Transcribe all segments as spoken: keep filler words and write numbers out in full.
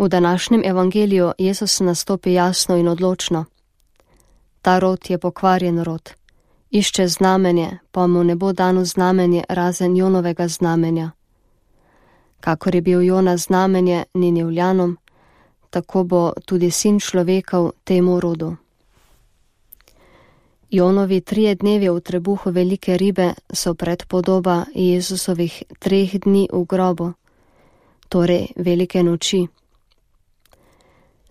V današnjem evangeliju Jezus nastopi jasno in odločno. Ta rod je pokvarjen rod. Išče znamenje, pa mu ne bo dano znamenje razen Jonovega znamenja. Kakor je bil Jona znamenje Ninevljanom, tako bo tudi sin človekov temu rodu. Jonovi trije dnevi v trebuhu velike ribe so predpodoba Jezusovih treh dni v grobu, torej velike noči.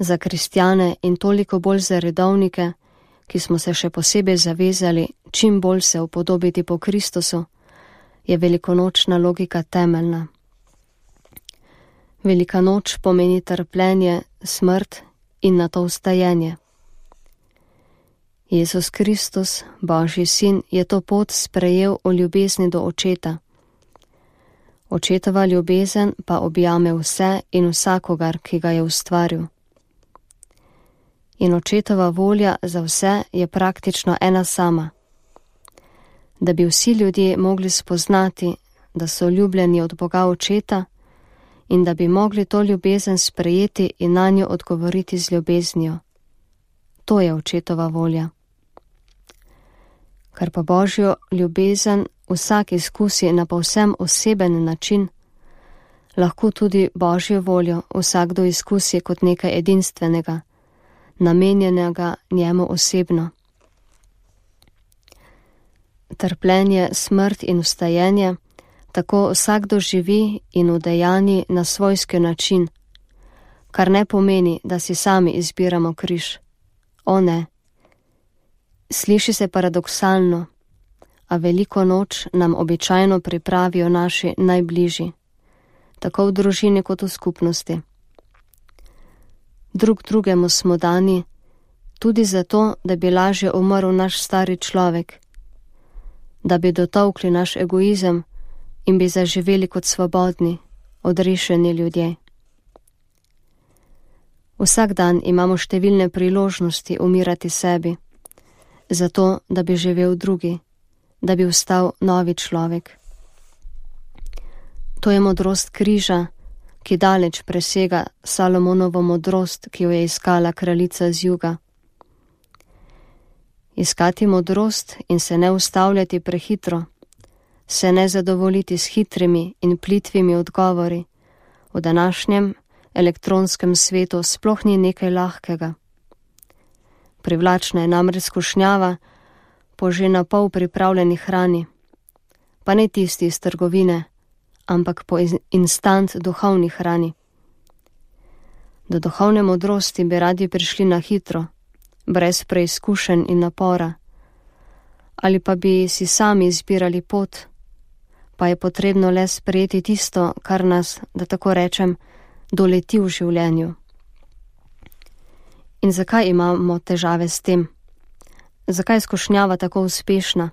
Za kristjane in toliko bolj za redovnike, ki smo se še posebej zavezali čim bolj se upodobiti po Kristusu, je velikonočna logika temeljna. Velika noč pomeni trpljenje, smrt in nato vstajenje. Jezus Kristus, Božji sin, je to pot sprejel v ljubezni do Očeta. Očetova ljubezen pa objame vse in vsakogar, ki ga je ustvaril. In Očetova volja za vse je praktično ena sama. Da bi vsi ljudje mogli spoznati, da so ljubljeni od Boga Očeta in da bi mogli to ljubezen sprejeti in na njo odgovoriti z ljubeznijo. To je Očetova volja. Ker pa Božjo ljubezen vsak izkusi na povsem oseben način, lahko tudi Božjo voljo vsakdo izkusi kot nekaj edinstvenega, namenjenega njemu osebno. Trpljenje, smrt in vstajenje tako vsakdo živi in udejanji na svojski način, kar ne pomeni, da si sami izbiramo križ. O ne. Sliši se paradoksalno, a veliko noč nam običajno pripravijo naši najbližji, tako v družini kot v skupnosti. Drug drugemu smo dani tudi zato, da bi lažje umrl naš stari človek, da bi dotolkli naš egoizem in bi zaživeli kot svobodni, odrešeni ljudje. Vsak dan imamo številne priložnosti umirati sebi, zato da bi živel drugi, da bi vstal novi človek. To je modrost križa, ki daleč presega Salomonovo modrost, ki jo je iskala kraljica z juga. Iskati modrost in se ne ustavljati prehitro, se ne zadovoljiti s hitrimi in plitvimi odgovori, v današnjem elektronskem svetu sploh ni nekaj lahkega. Privlačna je namreč skušnjava po že na pol pripravljeni hrani, pa ne tisti iz trgovine, ampak po instant duhovni hrani. Do duhovne modrosti bi radi prišli na hitro, brez preizkušenj in napora, ali pa bi si sami izbirali pot, pa je potrebno le sprejeti tisto, kar nas, da tako rečem, doleti v življenju. In zakaj imamo težave s tem? Zakaj je skušnjava tako uspešna?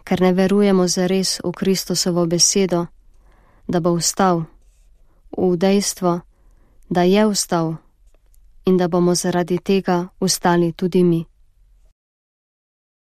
Ker ne verujemo zares v Kristusovo besedo, da bo vstal, v dejstvo, da je vstal in da bomo zaradi tega vstali tudi mi.